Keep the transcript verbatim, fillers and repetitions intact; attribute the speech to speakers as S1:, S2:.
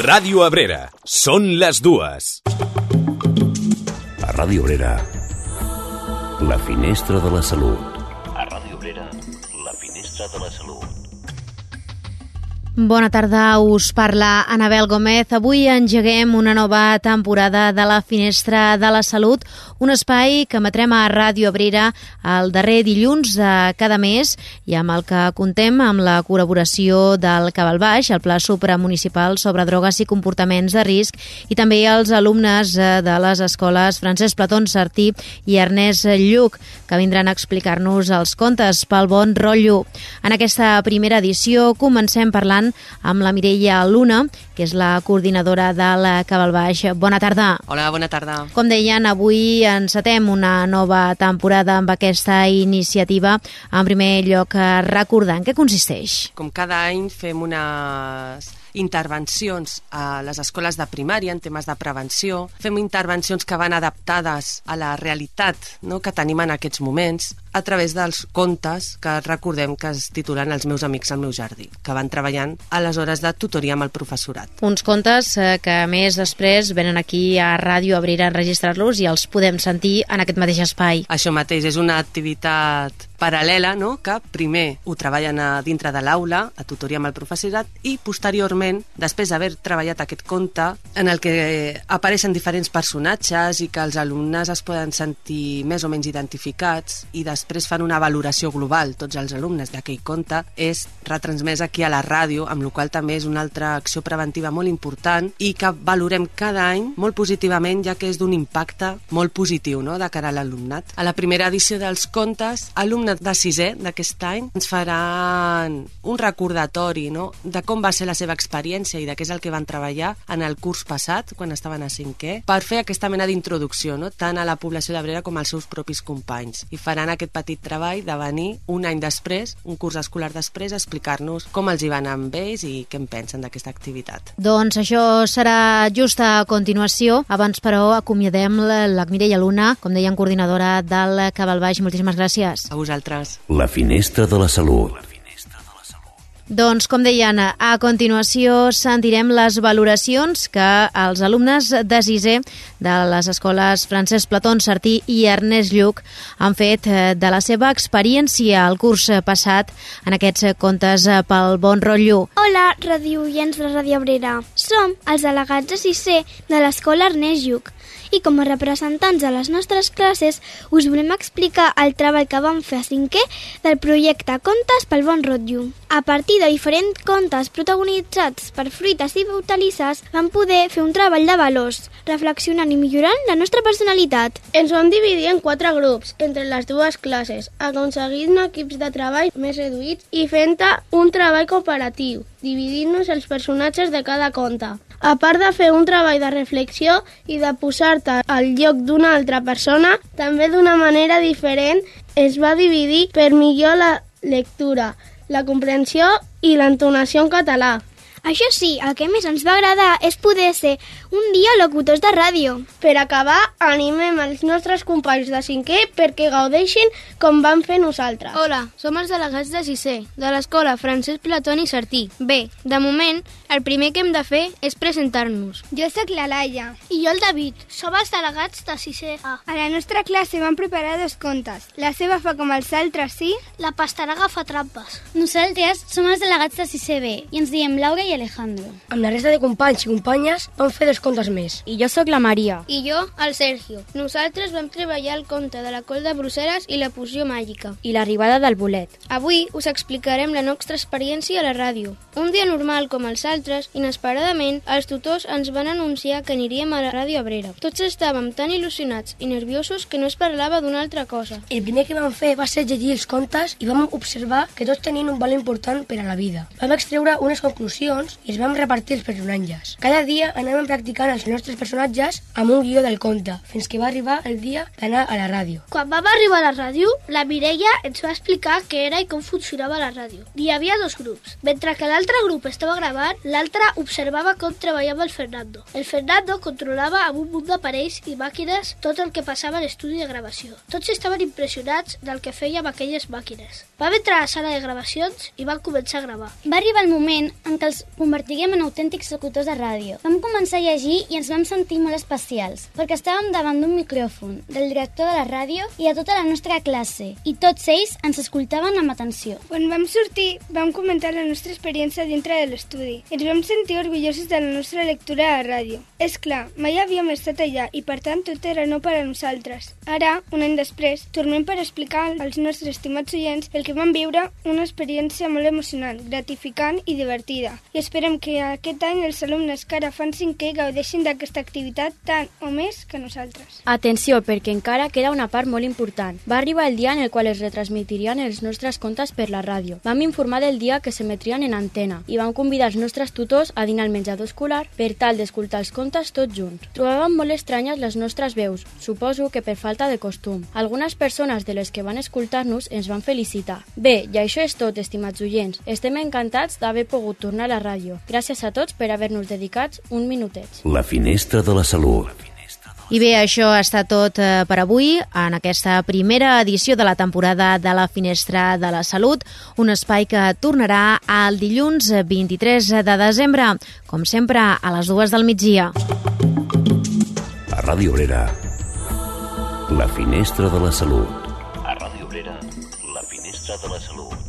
S1: Ràdio Abrera. Són les dues.
S2: A Ràdio Abrera, la finestra de la salut.
S3: A Ràdio Abrera, la finestra de la salut.
S4: Bona tarda, us parla Anabel Gómez. Avui engeguem una nova temporada de la Finestra de la Salut, un espai que emetrem a Ràdio Abrera el darrer dilluns de cada mes i amb el que contem amb la col·laboració del Cabal Baix, el Pla Supramunicipal sobre Drogues i Comportaments de Risc, i també els alumnes de les escoles Francesc Platón Sartí i Ernest Lluch, que vindran a explicar-nos els contes pel bon rotllo. En aquesta primera edició comencem parlant amb la Mireia Luna, que és la coordinadora del Cabal Baix. Bona tarda.
S5: Hola, bona tarda.
S4: Com deien, avui encetem una nova temporada amb aquesta iniciativa. En primer lloc, recordar en què consisteix.
S5: Com cada any fem unes intervencions a les escoles de primària en temes de prevenció. Fem intervencions que van adaptades a la realitat, no?, que tenim en aquests moments, a través dels contes que recordem que es titulen Els meus amics al meu jardí, que van treballant a les hores de tutoria amb el professorat.
S4: Uns contes eh, que a més després venen aquí a Ràdio Abrera a enregistrar-los i els podem sentir en aquest mateix espai.
S5: Això mateix, és una activitat paral·lela, no?, que primer ho treballen a dintre de l'aula, a tutoria amb el professorat, i posteriorment, després d'haver treballat aquest conte, en el que apareixen diferents personatges i que els alumnes es poden sentir més o menys identificats, i després fan una valoració global, tots els alumnes d'aquell conte, és retransmès aquí a la ràdio, amb la qual també és una altra acció preventiva molt important i que valorem cada any molt positivament, ja que és d'un impacte molt positiu, no?, de cara a l'alumnat. A la primera edició dels contes, alumnes de sisè d'aquest any ens faran un recordatori, no?, de com va ser la seva experiència i de què és el que van treballar en el curs passat, quan estaven a cinquè, per fer aquesta mena d'introducció, no?, tant a la població d'Abrera com als seus propis companys. I faran aquest petit treball de venir un any després, un curs escolar després, a explicar-nos com els hi va anar amb ells i què en pensen d'aquesta activitat.
S4: Doncs això serà just a continuació. Abans, però, acomiadem la, la Mireia Luna, com deien, coordinadora del Cabal Baix. Moltíssimes gràcies.
S5: A vosaltres.
S2: La finestra de la salut.
S4: Doncs, com deien, a continuació sentirem les valoracions que els alumnes de sisè de les escoles Francesc Platón Sartí i Ernest Lluch han fet de la seva experiència el curs passat en aquests contes pel bon rotllo.
S6: Hola, radioients de Ràdio Abrera. Som els delegats de sisè de l'escola Ernest Lluch i com a representants de les nostres classes us volem explicar el treball que vam fer a cinquè del projecte Contes pel bon rotllo. A partir de diferents contes protagonitzats per fruites i hortalisses vam poder fer un treball de valors, reflexionant i millorant la nostra personalitat.
S7: Ens vam dividir en quatre grups entre les dues classes, aconseguint equips de treball més reduïts i fent un treball cooperatiu, dividint-nos els personatges de cada conte. A part de fer un treball de reflexió i de posar-te al lloc d'una altra persona, també d'una manera diferent es va dividir per millor la lectura, la comprensió i l'entonació en català.
S6: Això sí, el que més ens va agradar és poder ser un dia locutors de ràdio.
S7: Per acabar, animem els nostres companys de cinquè perquè gaudeixin com vam fer nosaltres.
S8: Hola, som els delegats de sisè, de l'escola Francesc Platón i Sartí. Bé, de moment, el primer que hem de fer és presentar-nos.
S9: Jo sóc la Laia.
S6: I jo el David. Som els delegats de sisè A.
S9: A la nostra classe vam preparar dos contes. La seva fa com els altres, sí?
S6: La pastanaga fa trampes.
S10: Nosaltres som els delegats de sisè B i ens diem Laura i Alejandro.
S11: Amb la resta de companys i companyes vam fer dos contes més.
S8: I jo sóc la Maria.
S7: I jo, el Sergio. Nosaltres vam treballar el conte de la col de Brussel·les i la poció màgica.
S8: I l'arribada del bolet.
S7: Avui us explicarem la nostra experiència a la ràdio. Un dia normal com els altres, inesperadament, els tutors ens van anunciar que aniríem a la Ràdio Abrera. Tots estàvem tan il·lusionats i nerviosos que no es parlava d'una altra cosa.
S11: El primer que vam fer va ser llegir els contes i vam observar que tots tenien un valor important per a la vida. Vam extreure unes conclusions i els vam repartir els personatges. Cada dia anàvem practicant els nostres personatges amb un guió del conte, fins que va arribar el dia d'anar a la ràdio.
S6: Quan vam arribar a la ràdio, la Mireia ens va explicar què era i com funcionava la ràdio. Hi havia dos grups. Mentre que l'altre grup estava gravant, l'altre observava com treballava el Fernando. El Fernando controlava amb un munt d'aparells i màquines tot el que passava a l'estudi de gravació. Tots estaven impressionats del que feia amb aquelles màquines. Vam entrar a la sala de gravacions i vam començar a gravar.
S10: Va arribar el moment en què els convertirem en autèntics locutors de ràdio. Vam començar a llegir i ens vam sentir molt especials, perquè estàvem davant d'un micròfon, del director de la ràdio i de tota la nostra classe, i tots ells ens escoltaven amb atenció.
S9: Quan vam sortir, vam comentar la nostra experiència dintre de l'estudi. Ens vam sentir orgullosos de la nostra lectura a la ràdio. És clar, mai havíem estat allà i per tant tot era nou per a nosaltres. Ara, un any després, tornem per explicar als nostres estimats oients el que vam viure, una experiència molt emocionant, gratificant i divertida. I esperem que aquest any els alumnes que ara fan cinquè gaudeixin d'aquesta activitat tant o més que nosaltres.
S8: Atenció, perquè encara queda una part molt important. Va arribar el dia en el qual es retransmitirien els nostres contes per la ràdio. Vam informar del dia que s'emetrien en antena i vam convidar els nostres tutors a dinar al menjador escolar per tal d'escoltar els contes tots junts. Trobàvem molt estranyes les nostres veus, suposo que per falta de costum. Algunes persones de les que van escoltar-nos ens van felicitar. Bé, i això és tot, estimats oients. Estem encantats d'haver pogut tornar a la ràdio. Gràcies a tots per haver-nos dedicat un minutet.
S2: La finestra de la salut.
S4: I bé, això està tot per avui en aquesta primera edició de la temporada de la Finestra de la Salut, un espai que tornarà el dilluns vint-i-tres de desembre, com sempre a les dues del migdia.
S2: A Ràdio Obrera, la Finestra de la Salut.
S3: A Ràdio Obrera, la Finestra de la Salut.